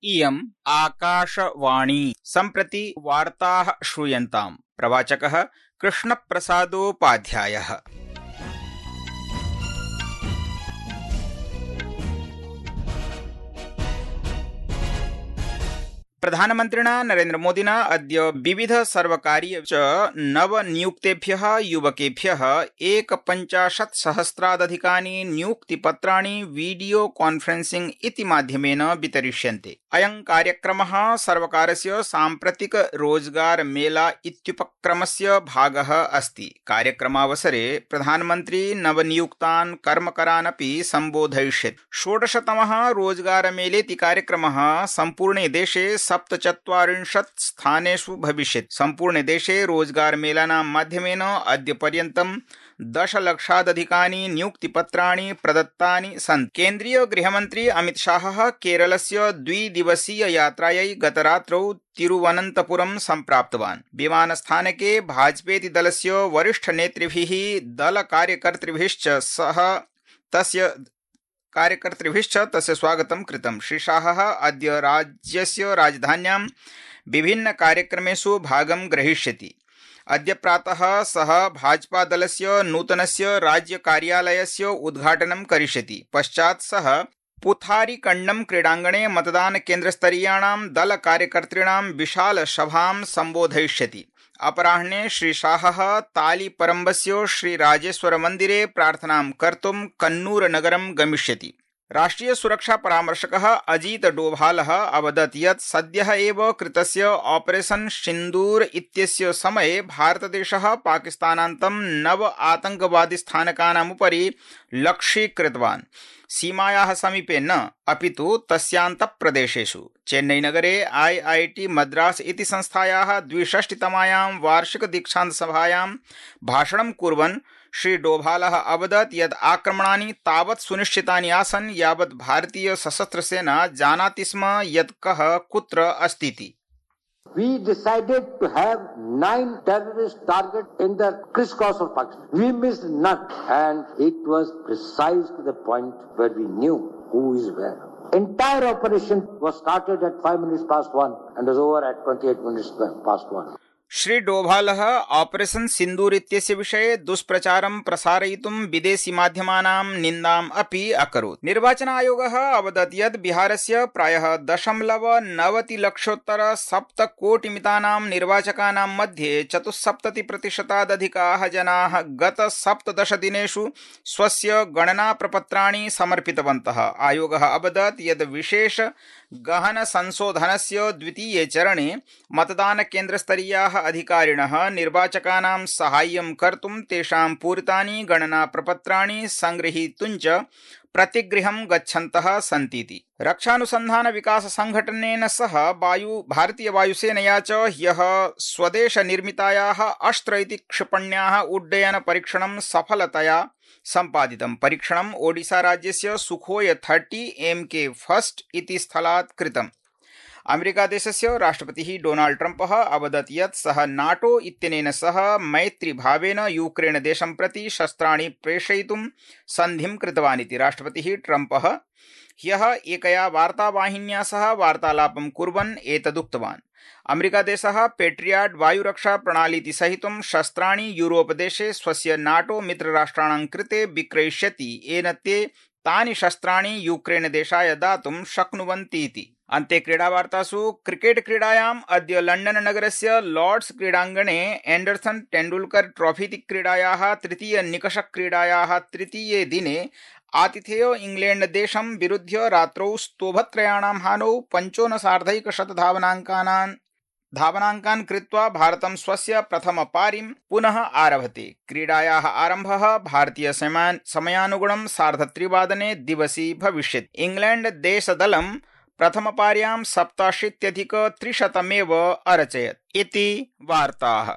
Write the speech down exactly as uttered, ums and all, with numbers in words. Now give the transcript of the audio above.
इयम् आकाशवाणी सम्प्रति वार्ताः श्रूयन्ताम्। प्रवाचकः कृष्णप्रसादोपाध्यायः। प्रधानमन्त्रिणा नरेन्द्रमोदिना अद्य विविध सर्वकारीय च नवनियुक्तेभ्यः युवकेभ्यः एकपञ्चाशत् सहस्रादधिकानि नियुक्तिपत्राणि वीडियो कॉन्फ्रेंसिंग इति माध्यमेन वितरिष्यन्ते। अयं कार्यक्रमः सर्वकारस्य साम्प्रतिक रोजगार मेला इत्युपक्रमस्य भागः अस्ति। कार्यक्रमावसरे प्रधानमन्त्री नवनियुक्तान् कर्मकरान् अपि सम्बोधयिष्यति। षोडशतमः रोजगार मेलेति कार्यक्रमः सम्पूर्णे देशे सप्तचत्वारिंशत् स्थानेषु भविष्यति। सम्पूर्णे देशे रोजगार मेलानां माध्यमेन अद्य पर्यन्तं दशलक्षादधिकानि नियुक्तिपत्राणि प्रदत्तानि सन्ति। केन्द्रीय गृहमन्त्री अमित शाहः केरलस्य द्विदिवसीय यात्रायै गतरात्रौ तिरुवनन्तपुरं सम्प्राप्तवान्। विमानस्थानके भाजपेति दलस्य वरिष्ठनेतृभिः दलकार्यकर्तृभिश्च सह तस्य कार्यकर्तृभिश्च तस्य स्वागतं कृतम्। श्री शाहः अद्य राज्यस्य राजधान्यां विभिन्न कार्यक्रमेषु भागं ग्रहीष्यति। अद्य प्रातः सः भाजपा दलस्य नूतनस्य राज्य कार्यालयस्य उद्घाटनं करिष्यति। पश्चात् सः पुथारीकण्डं क्रीडाङ्गणे मतदान केन्द्रस्तरीयाणां दल कार्यकर्तॄणां विशाल सभां सम्बोधयिष्यति। अपराह्ने श्री शाहः तालीपरम्बस्य श्री राजेश्वर मन्दिरे प्रार्थनां कर्तुं कन्नूर नगरं गमिष्यति। राष्ट्रिय सुरक्षा परामर्शकः अजीत डोभालः अवदत् यत् सद्यः एव कृतस्य ऑपरेशन सिन्दूर इत्यस्य समये भारतदेशः पाकिस्तानान्तं नव आतंकवादी स्थानकानाम् उपरि लक्ष्यीकृतवान्। सीमायाः समीपे न, अपितु तस्यान्तप्रदेशेषु। चेन्नईनगरे आई आई टी मद्रास इति संस्थायाः द्विषष्टितमायां वार्षिक दीक्षान्त सभायां भाषणं कुर्वन् श्री डोभालः अवदत् यत् आक्रमणानि तावत् सुनिश्चितानि आसन् यावत् भारतीय सशस्त्र सेना जानाति स्म यत् कः कुत्र अस्तीति। We decided to have nine terrorist targets in the crisscross of Pakistan. We missed none, and it was precise to the point where we knew who is where. Entire operation was started at five minutes past one and was over at twenty-eight minutes past one. Shri डोभालः operation Sindoor इत्यस्य विषये दुष्प्रचारं प्रसारयितुं विदेशी माध्यमानां निन्दाम् अपि अकरोत्। निर्वाचन आयोगः अवदत् यत् बिहारस्य प्रायः दशमलव नवति लक्षोत्तर सप्तकोटिमितानां निर्वाचकानां मध्ये चतुस्सप्तति प्रतिशतादधिकाः जनाः गत सप्तदश दिनेषु स्वस्य गणना प्रपत्राणि समर्पितवन्तः। आयोगः अवदत् यत् विशेष गहन संशोधनस्य द्वितीये चरणे मतदान केन्द्रस्तरीयाः अधिकारिणः निर्वाचकानां साहाय्यं कर्तुं तेषां पूरितानि गणना प्रपत्राणि संगृहीतुञ्च प्रतिगृहं गच्छन्तः सन्तीति। रक्षानुसन्धान विकास संघटनेन सह वायु भारतीय वायुसेनया च ह्यः स्वदेश निर्मितायाः अस्त्र इति क्षिपण्याः उड्डयन परीक्षणं सफलतया सम्पादितम्। परीक्षणम् ओडिशा राज्यस्य सुखोय थर्टी एम के फर्स्ट इति स्थलात् कृतम्। अमेरिकादेशस्य राष्ट्रपतिः डोनाल्ड ट्रम्पः अवदत् यत् सः नाटो इत्यनेन सह मैत्रीभावेन यूक्रेन देशं प्रति शस्त्राणि प्रेषयितुं सन्धिं कृतवान् इति। राष्ट्रपतिः ट्रम्पः ह्यः एकया वार्तावाहिन्या सह वार्तालापं कुर्वन् एतदुक्तवान्। अमेरिकादेशः पेट्रियाट् वायुरक्षा प्रणालीति सहितं शस्त्राणि यूरोपदेशे स्वस्य नाटो मित्रराष्ट्राणां कृते विक्रयिष्यति, येन ते तानि शस्त्राणि यूक्रेन देशाय दातुं शक्नुवन्तीति। अन्ते क्रीडावार्तासु क्रिकेट क्रीडायाम् अद्य लण्डन नगरस्य लॉर्ड्स क्रीडाङ्गणे एंडरसन तेंडुलकर ट्रॉफीति क्रीडायाः तृतीय निकष क्रीडायाः तृतीये दिने आतिथेय इंग्लैंड देशं विरुध्य रात्रौ स्तोभत्रयाणां हानौ पञ्चोनसार्धैकशत धावनाङ्कानान् धावनाङ्कान् कृत्वा भारतं स्वस्य प्रथम पारीं पुनः आरभते। क्रीडायाः आरम्भः भारतीय समयानुगुणं सार्धत्रिवादने दिवसी भविष्यति। इंग्लैंड देशदलं प्रथमपार्यां सप्ताशीत्यधिक त्रिशतमेव अरचयत् इति वार्ताः।